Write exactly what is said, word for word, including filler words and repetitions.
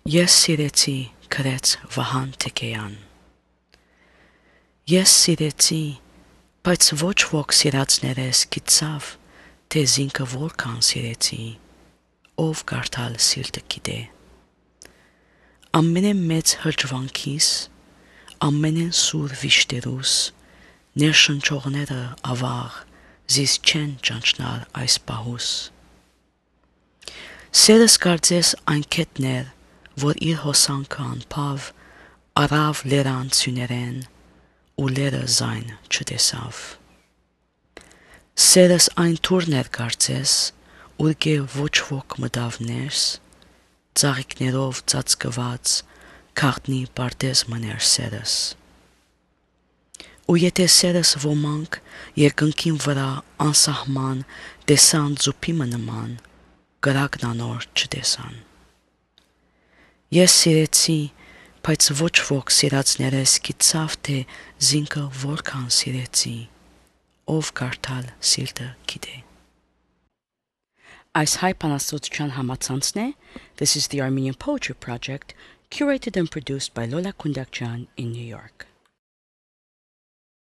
Ես սիրեցի գրեց Վահան Թեքեյան։ Ես սիրեցի, բայց ոչ ոք սիրածներես գիտավ, թե զինքը որքան սիրեցի, ով կարդալ սիրտը գիտե։ Ամենեն մեծ հրճվանքիս, ամենեն սուր վիշտերուս, ներշնչողները ավաղ, զիս չեն ճանչնալ այս պահուս։ Սերս կարծես այն կետներ, որ իր հոսանքը անփավ, արավ լերան ցյուներեն, ու լերը զայն չտեսավ։ Սերս այն թուրներ կարծես, ուր գե ոչ ոք մտավ ներս, ծաղիկներով ծածկված, քաղտնի պարտեզ մներ սերս։ Ու եթե սերս ոմանք երկնքին վրա անսահման տեսան ձուփիմը նման, կրակն անոր չտեսան։ Ես սիրեցի, բայց ոչ ոք սիրածներես գիտավ, թե զինքը որքան սիրեցի, ով կարդալ սիրտը գիտե։ Այս հայ բանաստեղծության համացանցն է This is the Armenian Poetry Project, curated and produced by Lola Kundakjian in New York.